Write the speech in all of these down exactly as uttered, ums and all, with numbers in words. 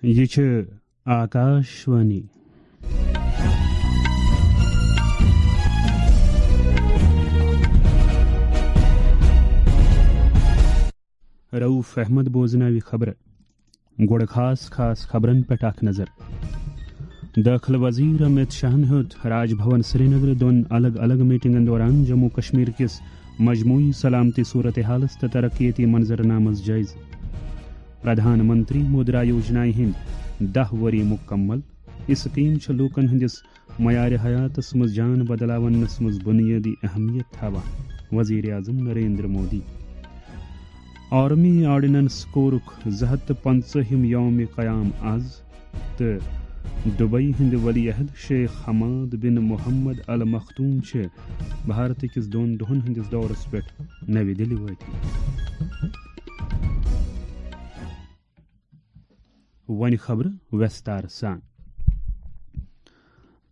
یہِ چھِ آکاشوانی۔ رؤف احمد بوزناوِ خبرٕ۔ گۄڈٕ خاص خاص خبرن پٮ۪ٹھ اکھ نظر۔ دٲخلہٕ وزیر امت شاہن ہیوٚت راج بھون سرینگرٕ دۄن الگ الگ میٹنگن دوران جموں کشمیر کِس مجموعی سلامتی صورتحالس تہٕ ترقیتی منظرنامس جٲیزٕ۔ پردھان منتری مدرا یوجنایہِ ہٕنٛدۍ دَہ ؤری مُکمل۔ یہِ سکیٖم چھِ لوٗکَن ہٕنٛدِس معیارِ حیاتَس منٛز جان بدلاونَس منٛز بُنیٲدی اہمیت تھاوان، وزیر اعظم نریندر مودی۔ آرمی آرڈیننس کورُک زٕ ہَتھ تہٕ پنٛژاہِم یوم قیام آز، تہٕ دبئی ہٕنٛدۍ ولی عہد شیخ حماد بن محمد ال مختوم چھِ بھارت کِس دۄن دۄہَن ہٕنٛدِس دورَس پٮ۪ٹھ نَوِ دِلہِ وٲتمٕتۍ۔ وۄنۍ خبرٕ ویستار سان۔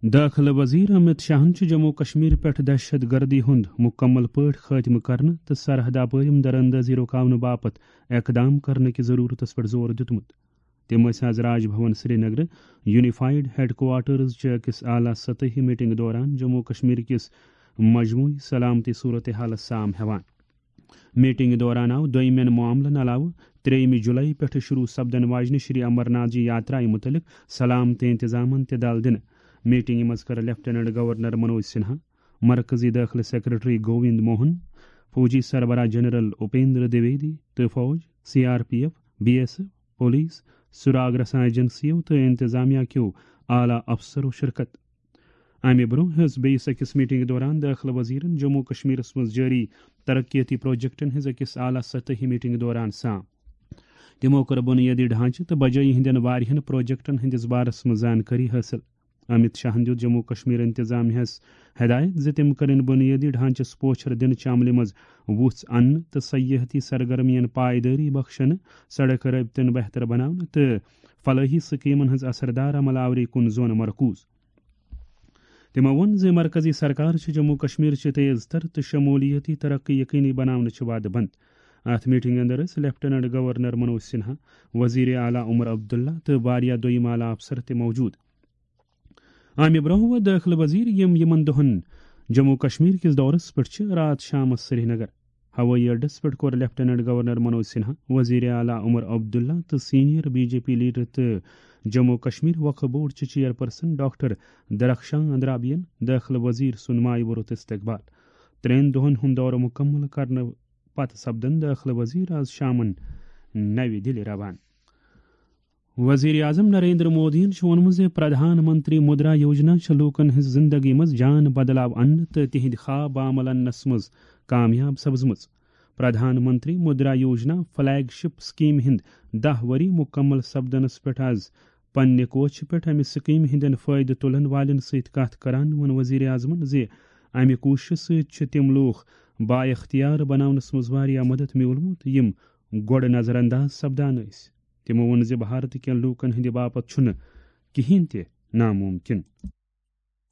دٲخلہٕ وزیر امت شاہن چھُ جموں کشمیر پٮ۪ٹھ دہشت گردی ہُنٛد مُکمل پٲٹھۍ خٲتمہٕ کرنہٕ تہٕ سرحد اپٲرِم دراندازی رُکاونہٕ باپتھ اقدام کرنہٕ کہِ ضروٗرتس پٮ۪ٹھ زور دیُتمُت۔ تِم ٲسۍ آز راج بھون سرینگرٕ یونیفائیڈ ہیڈ کوارٹرز چہِ أکِس اعلیٰ سطحی میٹنگ دوران جموں کشمیر کِس مجموعی سلامتی صورتحالس سام ہٮ۪وان۔ میٹنگ دوران آو دوٚیمٮ۪ن معاملن علاوٕ ترٛیٚیِمہِ جولائی پٮ۪ٹھٕ شروع سپدن واجنہِ شری امر ناتھ جی یاترایہِ مُتعلق سلامتی انتظامن تہِ دل دِنہٕ۔ میٹنگہِ منٛز کٔر لیفٹیننٹ گورنر منوج سنہا، مرکزی دٲخلہٕ سیکرٹری گووند موہن، فوجی سربراہ جنرل اپیندر دویدی تہٕ فوج، C R P F, B S F, police, سراغ رساں ایجنسیو تہٕ انتظامیہ کیو اعلیٰ افسرو شرکت۔ امہِ برونٛہہ ہیٚژ بیٚیِس أکِس میٹنگ دوران دٲخلہٕ وزیرن جموں کشمیرس منٛز جٲری ترقیتی پروجیکٹن ہٕنٛز أکِس اعلیٰ سطحی میٹنگ دوران سام۔ تِمو کٔر بُنیٲدی ڈھانچہٕ تہٕ بجٲیی ہٕنٛدٮ۪ن واریاہن پروجیکٹن ہٕنٛدِس بارس منٛز زانکٲری حٲصِل۔ امت شاہن دیُت جموں کشمیر انتظامیہس ہدایت زِ تِم کرن بُنیٲدی ڈھانچس پوچھر دِنہٕ چہِ عملہِ منٛز وُژھ اننہٕ تہٕ سیاحتی سرگرمین پائیدٲری بخشنہٕ، سڑک رٲبطن بہتر بناونہٕ تہٕ فلٲحی سکیمن ہٕنٛز اثردار عمل آوری کُن زون مرکوز۔ تِمو ووٚن زِ مرکزی سرکار چھِ جموں کشمیر چہِ تیز تر تہٕ شمولیتی ترقی یقینی بناونہٕ چہِ وعدٕ بنٛد۔ اتھ میٹنگ اندر ٲسۍ لیفٹیننٹ گورنر منوج سنہا، وزیر اعلیٰ عمر عبداللہ تہٕ واریاہ دوٚیم اعلیٰ افسر تہِ موجود۔ امہِ برونٛہہ ووت دٲخلہٕ وزیر، یِم یِمن دۄہن جموں کشمیر کِس دورس پٮ۪ٹھ چھِ، راتھ شامس سرینگر۔ ہوٲیی اڈس پٮ۪ٹھ کوٚر لیفٹیننٹ گورنر منوج سنہا، وزیر اعلیٰ عمر عبداللہ تہٕ senior B J P leader تہٕ جموں کشمیر وقف بورڈ چہِ چیئرپرسن ڈاکٹر درخشان اندرابین دٲخلہٕ وزیر سُنٛد مایہِ ووٚرُت استقبال۔ ترٛٮ۪ن دۄہن ہُنٛد دورٕ مُکمل کرنہٕ پتہٕ سپدن دٲخلہٕ وزیر آز شامن نَوِ دِلہِ روانہٕ۔ وزیر اعظم نریندر مودیَن چھُ ووٚنمُت زِ پردھان منتری مدرا یوجنا چھِ لوٗکَن ہٕنٛز زِندگی منٛز جان بدلاو اَننہٕ تہٕ تِہنٛدۍ خواب عمل اَننَس منٛز کامیاب سپزمٕژ۔ پردھان منتری مدرا یوجنا فلیگ شپ سکیمہِ ہٕنٛدۍ دَہ ؤری مُکمل سپدنَس پٮ۪ٹھ آز پننہِ کوچھِ پٮ۪ٹھ اَمہِ سکیمہِ ہٕنٛدٮ۪ن فٲیدٕ تُلَن والٮ۪ن سۭتۍ کَتھ کران ووٚن وزیر اعظمَن زِ اَمہِ کوٗششہِ سۭتۍ چھِ تِم لوٗکھ بااختیار بناونَس منٛز واریاہ مدد میوٗلمُت، یِم گۄڈٕ نظر انداز سپدان ٲسۍ۔ تِمو ووٚن زِ بھارت کٮ۪ن لوٗکن ہٕنٛدِ باپتھ چھُنہٕ کِہینۍ تہِ ناممکن۔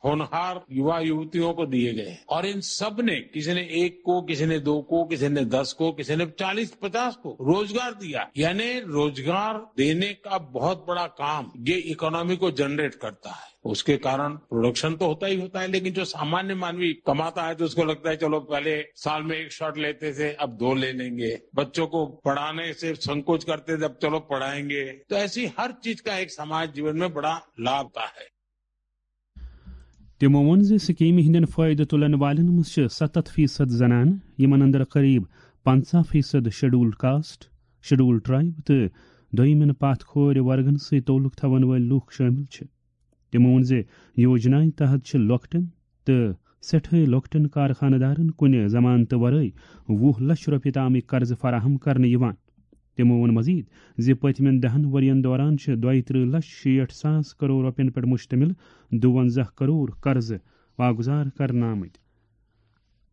होनहार युवा युवतियों को दिए गए हैं और इन सब ने, किसी ने एक को, किसी ने दो को, किसी ने दस को, किसी ने चालीस पचास को रोजगार दिया। यानी रोजगार देने का बहुत बड़ा काम ये इकोनॉमी को जनरेट करता है। उसके कारण प्रोडक्शन तो होता ही होता है, लेकिन जो सामान्य मानवी कमाता है तो उसको लगता है चलो पहले साल में एक शॉट लेते थे, अब दो ले लेंगे, बच्चों को पढ़ाने से संकोच करते थे, अब चलो पढ़ाएंगे। तो ऐसी हर चीज का एक समाज जीवन में बड़ा लाभ होता है। تِمو ووٚن زِ سکیمہِ ہٕنٛدٮ۪ن فٲیدٕ تُلن والٮ۪ن منٛز چھِ ستتھ فیصد زنانہٕ، یِمن اندر قریب پنژاہ فیصد شیڈول کاسٹ، شیڈول ٹرائب تہٕ دوٚیمٮ۪ن پتھ کھورِ ورگن سۭتۍ تعلق تھاون وٲلۍ لوٗکھ شٲمِل چھِ۔ تِمو ووٚن زِ یوجنایہِ تحت چھِ لۄکٹٮ۪ن تہٕ سٮ۪ٹھٕے لۄکٹٮ۪ن کارخانہٕ دارن کُنہِ ضمانتہٕ ورٲے وُہ لچھ رۄپیہِ تامٕکۍ قرضہٕ فراہم کرنہٕ یِوان۔ تِمو ووٚن مزید زِ پٔتمٮ۪ن دَہَن ؤرۍ یَن دوران چھِ دۄیہِ ترٕٛہ لچھ شیٹھ ساس کرور رۄپین پٮ۪ٹھ مشتمل دُوَنزاہ کرور قرضہٕ واگزار کرنہٕ آمٕتۍ۔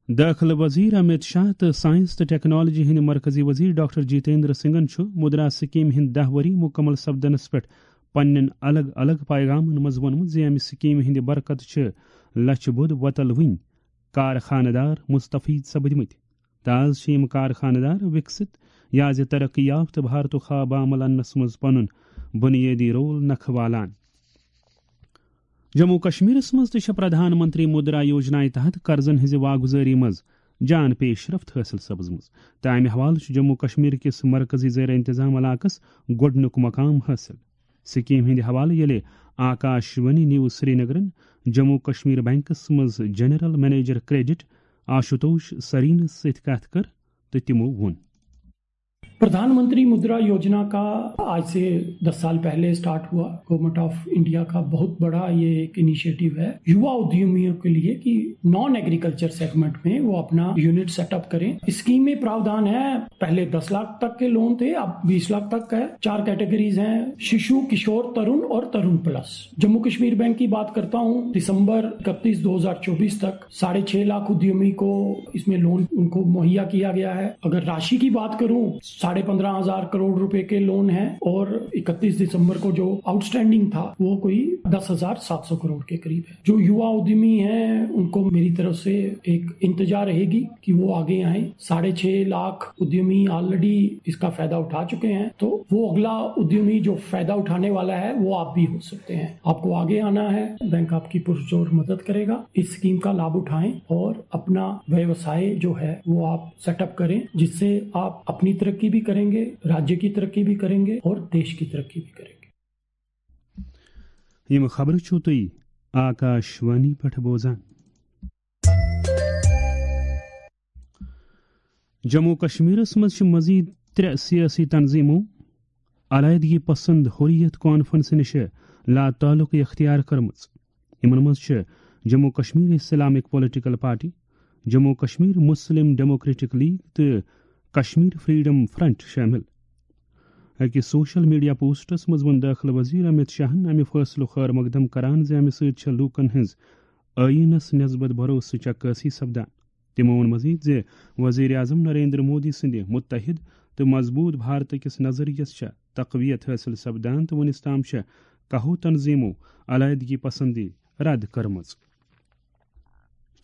دٲخلہٕ وزیر امت شاہ تہٕ ساینس تہٕ ٹیکنالوجی ہٕنٛدۍ مرکزی وزیر ڈاکٹر جتیندر سنگھن چھُ مدرا سکیمہِ ہٕنٛدۍ دَہ ؤری مُکمل سپدنس پٮ۪ٹھ پننٮ۪ن الگ الگ پیغامن منٛز ووٚنمُت زِ امہِ سکیمہِ ہٕنٛدِ برکتہٕ چھِ لچھِ بوٚد وۄتل وٕنۍ کارخانہٕ دار مستفید سپدمٕتۍ۔ تہٕ آز چھِ یِم کارخانہٕ دار وِکسِت یا زِ ترقی یافتہٕ بھارتُک خواب عمل اننس منٛز پنُن بنیٲدی رول نکھٕ والان۔ جموں کشمیرس منٛز تہِ چھےٚ پردھان منتری مدرا یوجنایہِ تحت قرضن ہٕنٛزِ واگُزٲری منٛز جان پیش رفت حٲصِل سپٕزمٕژ، تہٕ امہِ حوالہٕ چھُ جموں کشمیر کِس مرکزی زیر انتظام علاقس گۄڈٕنیُک مقام حٲصِل۔ سکیٖم ہٕنٛدِ حوالہٕ ییٚلہِ آکاش وانی نیوز سرینگرن جموں کشمیر بینکس منٛز جنرل منیجر کریڈٹ آشوتوش سرینس سۭتۍ کتھ کٔر، تہٕ تِمو ووٚن۔ प्रधानमंत्री मुद्रा योजना का आज से दस साल पहले स्टार्ट हुआ। गवर्नमेंट ऑफ इंडिया का बहुत बड़ा ये एक इनिशिएटिव है युवा उद्यमियों के लिए कि नॉन एग्रीकल्चर सेगमेंट में वो अपना यूनिट सेटअप करें। स्कीम में प्रावधान है, पहले दस लाख तक के लोन थे, अब बीस लाख तक का है। चार कैटेगरीज हैं, शिशु, किशोर, तरुण और तरुण प्लस। जम्मू कश्मीर बैंक की बात करता हूँ, दिसंबर इकतीस दो हज़ार चौबीस तक साढ़े छह लाख उद्यमी को इसमें लोन उनको मुहैया किया गया है। अगर राशि की बात करूं, साढ़े पन्द्रह हजार करोड़ रुपए के लोन है और इकतीस दिसंबर को जो आउटस्टैंडिंग था वो कोई दस हजार सात सौ करोड़ के करीब है। जो युवा उद्यमी हैं उनको मेरी तरफ से एक इंतजार रहेगी कि वो आगे आए। साढ़े छह लाख उद्यमी ऑलरेडी इसका फायदा उठा चुके हैं, तो वो अगला उद्यमी जो फायदा उठाने वाला है वो आप भी हो सकते हैं। आपको आगे आना है, बैंक आपकी पुरजोर मदद करेगा। इस स्कीम का लाभ उठाएं और अपना व्यवसाय जो है वो आप सेटअप करें, जिससे आप अपनी तरक्की भी करेंगे, राज्य की तरक्की भी करेंगे और देश की तरक्की भी करेंगे। یِم خبرٕ چھِو تُہۍ آکاش وانی پٮ۪ٹھ بوزان۔ جموں کشمیرس منٛز چھِ مزید ترٛےٚ سیٲسی تنظیمو علیحدگی پسند حریت کانفرنس نِش لاتعلقی اختیار کٔرمٕژ۔ یِمن منٛز چھِ Jammu Kashmir Islamic political party, Jammu Kashmir Muslim democratic league تہٕ کشمیر فریڈم فرنٹ شٲمِل۔ أکِس سوشل میڈیا پوسٹس منٛز ووٚن دٲخلہٕ وزیر امت شاہن امہِ فٲصلُک خٲر مقدم کران زِ امہِ سۭتۍ چھےٚ لوٗکن ہٕنٛز ٲییٖنس نسبت بھروسٕچ عکٲسی سپدان۔ تِمو ووٚن مزید زِ وزیر اعظم نریندر مودی سٕنٛدِ متحد تہٕ مضبوٗط بھارت کِس نظریس چھےٚ تقویت حٲصِل سپدان تہٕ وُنِس تام چھےٚ کاہو تنظیمو علیحدگی پسندی رد کٔرمٕژ۔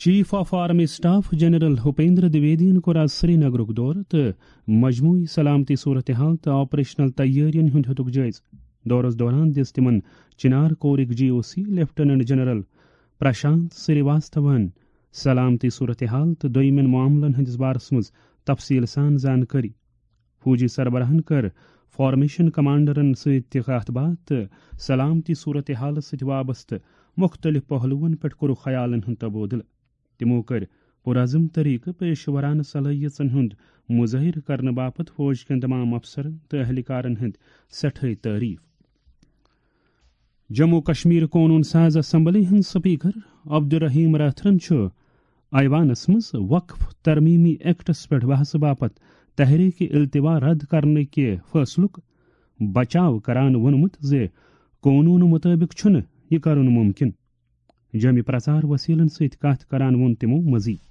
Chief of army staff general Upendra دویدین کوٚر آز سرینگرُک دورٕ تہٕ مجموعی سلامتی صورتحال تہٕ آپریشنل تیٲرین ہُنٛد ہیوٚتُکھ جٲیزٕ۔ دورس دوران دِژ تِمن چنار کورٕکۍ جی او سی لیفٹیننٹ جنرل پرشانت سری واستوہن سلامتی صورتحال تہٕ دوٚیمٮ۪ن معاملن ہٕنٛدِس بارس منٛز تفصیٖل سان زانکٲری۔ فوجی سربراہن کٔر فارمیشن کمانڈرن سۭتۍ تہِ کتھ باتھ تہٕ سلامتی صورتحالس سۭتۍ وابستہٕ مُختٔلِف پہلوَن پٮ۪ٹھ کوٚرُکھ خیالن ہُنٛد تبادلہٕ۔ تِمو کٔر پُرعزم طریقہٕ پیشہٕ ورانہٕ صلٲحیژن ہُنٛد مظٲہرٕ کرنہٕ باپتھ فوج کٮ۪ن تمام افسرن تہٕ اہلکارن ہٕنٛدۍ سٮ۪ٹھٲے تعریف۔ جموں کشمیر قونوٗن ساز اسمبلی ہٕنٛدۍ سپیکر عبدالرحیم راتھرن چھُ ایوانس منٛز وقف ترمیمی ایکٹس پٮ۪ٹھ بحثہٕ باپتھ تحریک التوا رد کرنہٕ کہِ فٲصلُک بچاو کران ووٚنمُت زِ قونوٗنہٕ مُطٲبِق چھُنہٕ یہِ کرُن مُمکِن۔ جٲمی پرچار وسیلن سۭتۍ کتھ کران ووٚن تِمو مزید۔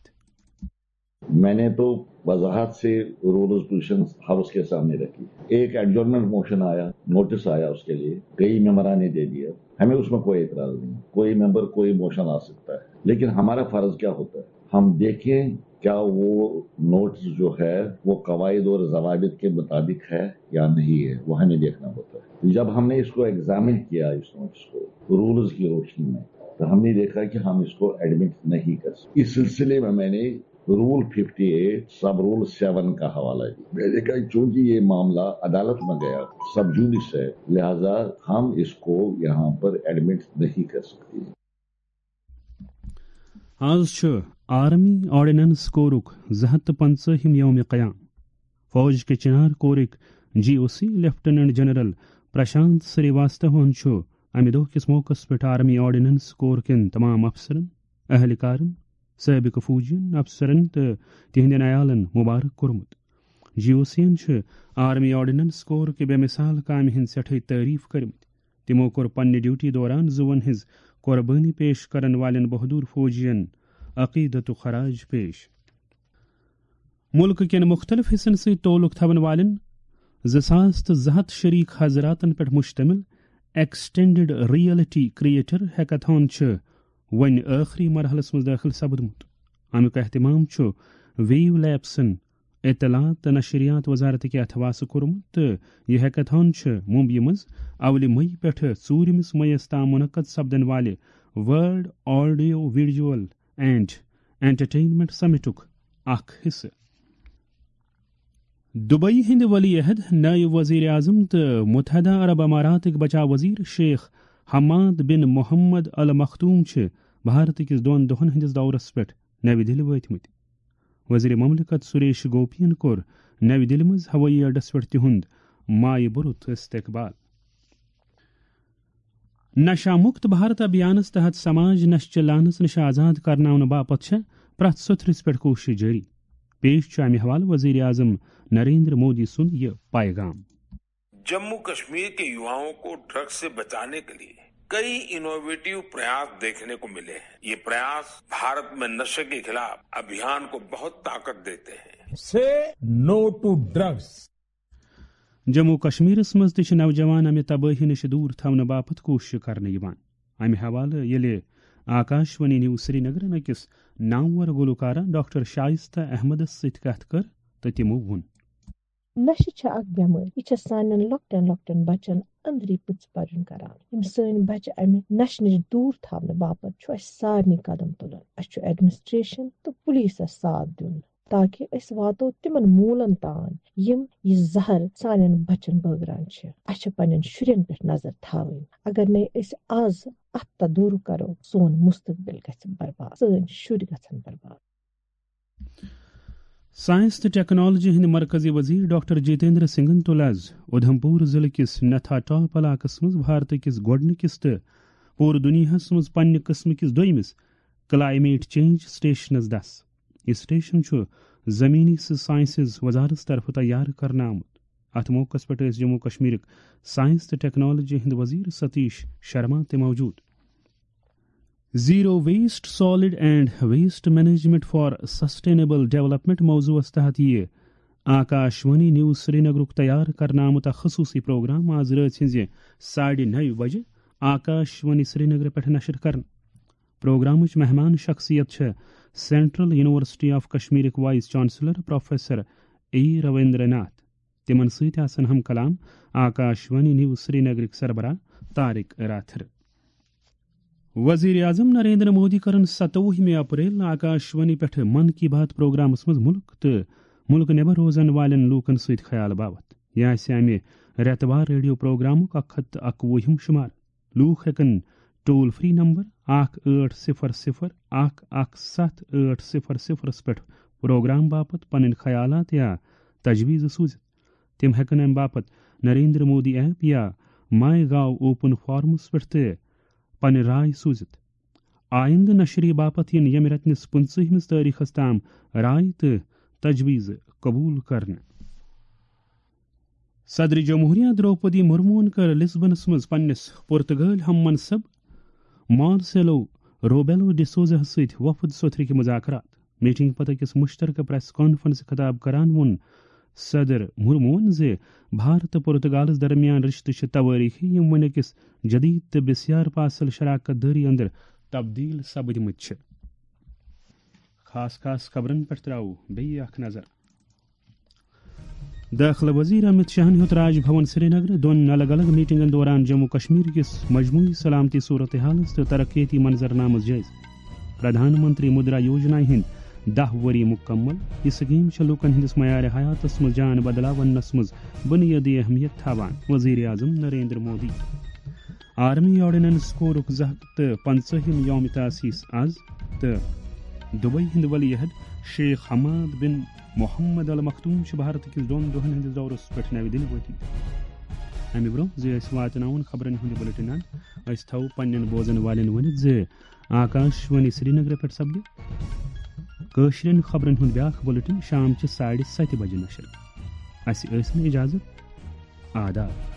मैंने तो वजाहत से रूल्स पोजीशन हाउस के सामने रखी। एक एडजॉर्नमेंट मोशन आया, नोटिस आया उसके लिए, कई मेंबरा ने दे दिया। हमें उसमें कोई एतराज नहीं, कोई मेंबर कोई मोशन ला सकता है, लेकिन हमारा फर्ज क्या होता है, हम देखें क्या वो नोटिस जो है वो कवायद और जवाबित के मुताबिक है या नहीं है, वो हमें देखना होता है। जब हमने इसको एग्जामिन किया, इस नोटिस को रूल्स की रोशनी में, तो हमने देखा कि हम इसको एडमिट नहीं कर सकते। इस सिलसिले में मैंने रूल फिफ्टी एट सब रूल सेवन का हवाला दिया। मैंने कहा, चूंकि ये मामला अदालत में गया, सब जुडिस है, लिहाजा हम इसको यहाँ पर एडमिट नहीं कर सकते। آز چھُ آرمی آرڈیننس کورُک زٕ ہَتھ تہٕ پنٛژٲہِم یوم قیام۔ فوج کہِ چنار کورٕکۍ جی او سی لیفٹیننٹ جنرل پرشانت سری واستوہن چھُ امہِ دۄہ کِس موقعس پٮ۪ٹھ آرمی آرڈیننس کور کٮ۪ن تمام افسرن، اہلکارن، سٲبقہٕ فوجین افسرن تہٕ تِہنٛدٮ۪ن عیالن مبارک کوٚرمُت۔ جی او سین چھِ آرمی آرڈیننس کور کہِ بے مثال کامہِ ہٕنٛدۍ سٮ۪ٹھٕے تعریف کٔرمٕتۍ۔ تِمو کوٚر پننہِ ڈیوٹی دوران زُوَن ہٕنٛز قۄربٲنی پیش کرن والٮ۪ن بہادر فوجین عقیدتُک خراج پیش۔ مُلکہٕ کٮ۪ن مُختٔلِف حِصن سۭتۍ تعلق تھاون والٮ۪ن زٕ ساس تہٕ زٕ ہَتھ شریک حضراتن پٮ۪ٹھ مشتمل ایکسٹینڈڈ ریئلٹی کریٹر ہیکاتھان چھُ وۄنۍ ٲخری مرحلس منٛز دٲخل سپدمُت۔ امیُک اہتمام چھُ ویو لیبسن اطلاعات تہٕ نشریات وزارتٕکۍ اتھواسہٕ کوٚرمُت تہٕ یہِ ہیکتھان چھُ ممبیہِ منٛز اولہِ مئی پٮ۪ٹھٕ ژوٗرِمِس مئیس تام منعقد سپدن والہِ world audio visual and entertainment سمٹُک اکھ حصہٕ۔ دبئی ہٕنٛدۍ ولی عہد، نائب وزیر اعظم تہٕ متحدہ عرب اماراتٕکۍ بچاو وزیر شیخ حماد بن محمد ال مختوم چھِ بھارت کِس دۄن دۄہن ہٕنٛدِس دورس پٮ۪ٹھ نَوِ دِلہِ وٲتمٕتۍ۔ وزیر مملکت سریش گوپین کوٚر نَوِ دِلہِ منٛز ہوٲیی اڈس پٮ۪ٹھ تِہُنٛد مایہِ بُرُت استقبال۔ نشہ مکت بھارت ابھیانس تحت سماج نشہٕ چہِ لعنس نش آزاد کرناونہٕ باپتھ چھےٚ پرٛٮ۪تھ سوٚتھرِس پٮ۪ٹھ کوٗشش جٲری۔ پیش چھُ امہِ حوالہٕ وزیر اعظم نریندر مودی سُنٛد یہِ پیغام۔ जम्मू कश्मीर के युवाओं को ड्रग्स से बचाने के लिए कई इनोवेटिव प्रयास देखने को मिले हैं। ये प्रयास भारत में नशे के खिलाफ अभियान को बहुत ताकत देते हैं। Say no to drugs. Jammu و کشمیرس منٛز تہِ چھِ نوجوان امہِ تبٲہی نِش دوٗر تھاونہٕ باپتھ کوٗشش کرنہٕ یِوان۔ امہِ حوالہٕ ییٚلہِ آکاشوانی نیوز سرینگرن أکِس نامور گلوکارہ ڈاکٹر شائستہ احمدس سۭتۍ کتھ کٔر تہٕ تِمو ووٚن۔ نشہٕ چھےٚ اکھ بٮ۪مٲرۍ۔ یہِ چھےٚ سانٮ۪ن لۄکٹٮ۪ن لۄکٹٮ۪ن بچن أنٛدری پٕژٕ پرٕنۍ کران۔ یِم سٲنۍ بچہٕ امہِ نشہٕ نِش دوٗر تھاونہٕ باپتھ چھُ اسہِ سارنٕے قدم تُلُن۔ اسہِ چھُ ایڈمنسٹریشن تہٕ پُلیٖسس ساتھ دیُن، تاکہ أسۍ واتو تِمن موٗلن تام، یِم یہِ زہر سانٮ۪ن بچن بٲگران چھِ۔ اسہِ چھِ پننٮ۪ن شُرٮ۪ن پٮ۪ٹھ نظر تھاوٕنۍ۔ اگر نے أسۍ از اتھ تہٕ دوٗر کرو، سون مستقبل گژھِ برباد، سٲنۍ شُرۍ گژھن برباد۔ سائنس تہٕ ٹیکنالوجی ہٕنٛدۍ مرکزی وزیر ڈاکٹر جتیندر سنگھن تُل آز اُدھمپور ضلعہٕ کِس نتھا ٹاپ علاقس منٛز بھارت کِس گۄڈٕنِکِس تہٕ پوٗرٕ دُنیاہس منٛز پننہِ قٕسمہٕ کِس دوٚیمِس کلائمیٹ چینج سٹیشنس دس۔ یہِ سٹیشن چھُ زمینی سائنسز وزارت طرفہٕ تیار کرنہٕ آمُت۔ اتھ موقعس پٮ۪ٹھ ٲسۍ جموں کشمیرٕکۍ سائنس تہٕ ٹیکنالوجی ہٕنٛدۍ وزیر ستیش شرما تہِ موجود۔ Zero Waste Solid and Waste Management for Sustainable Development موضوعس تحت یِیہِ آکاشوانی نیوز سرینگرُک تیار کرنہٕ آمُت اکھ خصوٗصی پروگرام آز رٲژ ہٕنٛزِ ساڑِ نَیہِ بجہِ آکاشوانی سرینگرٕ پٮ۪ٹھ نشر کرنہٕ۔ پروگرامٕچ مہمان شخصیت چھےٚ سینٹرل یونیورسٹی آف کشمیرٕکۍ vice chancellor professor A Ravinder Nath. تِمن سۭتۍ آسن ہم کلام آکاشوانی نیوز سرینگرٕکۍ سربراہ طارق راتھر۔ وزیر اعظم نریندر مودی کرن ستووُہمہِ اپریل آکاشوانی پٮ۪ٹھ من کی بات پروگرامس منٛز مُلک تہٕ مُلک نٮ۪بر روزن والٮ۪ن لوٗکن سۭتۍ خیال باوتھ۔ یہِ آسہِ امہِ رٮ۪تہٕ وار ریڈیو پروگرامُک اکھ ہتھ تہٕ اکوُہِم شمار۔ لوٗکھ ہٮ۪کن ٹول فری نمبر اکھ ٲٹھ صفر صفر اکھ اکھ ستھ ٲٹھ صفر صفرس پٮ۪ٹھ پروگرام باپتھ پنٕنۍ خیالات یا تجویز سوٗزِتھ۔ تِم ہٮ۪کن امہِ باپتھ نریندر مودی ایپ یا ماے گاو اوپن فارمس پٮ۪ٹھ تہِ پنٕنۍ راے سوٗزِتھ۔ آیندٕ نشری باپتھ یِن ییٚمہِ رٮ۪تہٕ نِس پٕنٛژٕہمِس تٲریخس تام راے تہٕ تجویز قبول کرنہٕ۔ صدر جمہوریہ درٛوپدی مرموہن کٔر لسبنس منٛز پننِس پرتگٲلۍ ہم منصب مارسیلو روبیلو ڈسوزاہس سۭتۍ وفد سوٚتھرٕکۍ مذاکرات۔ میٹنگ پتہٕ أکِس مشترکہ پریس کانفرنس خطاب کران ووٚن صدر مرموہن زِ بھارت تہٕ پرتگالس درمیان رشتہٕ چھِ توٲریخی، یِم وۄنۍ أکِس جدید تہٕ بسیار پاسل شراکت دٲری اندر تبدیل سپدمٕتۍ چھِ۔ خاص خاص خبرن پٮ۪ٹھ تراوو بیٚیہِ اکھ نظر۔ دٲخلہٕ وزیر امت شاہن ہیوٚت راج بھون سرینگر دۄن الگ الگ میٹنگن دوران جموں کشمیر کِس مجموعی سلامتی صورتحالس تہٕ ترقیتی منظرنامس جٲیزٕ۔ پردھان منتری مدرا یوجنا ہٕنٛدۍ دَہ ؤری مُکمل۔ یہِ سکیٖم چھےٚ لوٗکن ہٕنٛدِس معیار حیاتس منٛز جان بدلاونس منٛز بُنیٲدی اہمیت تھاوان، وزیر اعظم نریندر مودی۔ آرمی آرڈیننس کورُک زٕ ہتھ تہٕ پنٛژٲہِم یوم تاسیس از تہٕ دبئی ہٕنٛدۍ ولی عہد شیخ حماد بن محمد المختوم چھِ بھارت کِس دۄن دۄہن ہٕنٛدِس دورس پٮ۪ٹھ نَوِ دِلہِ وٲتمٕتۍ۔ امہِ برٛونٛہہ زِ أسۍ واتناوون خبرن ہُنٛد بُلٹن اند، أسۍ تھاوو پننٮ۪ن بوزن والٮ۪ن ؤنِتھ زِ آکاش وانی سرینگرٕ پٮ۪ٹھ سپدِ کٲشرٮ۪ن خبرن ہُنٛد بیٛاکھ بُلٹن شام چہِ ساڑِ ستہِ بجہِ نشر۔ اسہِ ٲسِن اجازت۔ آداب۔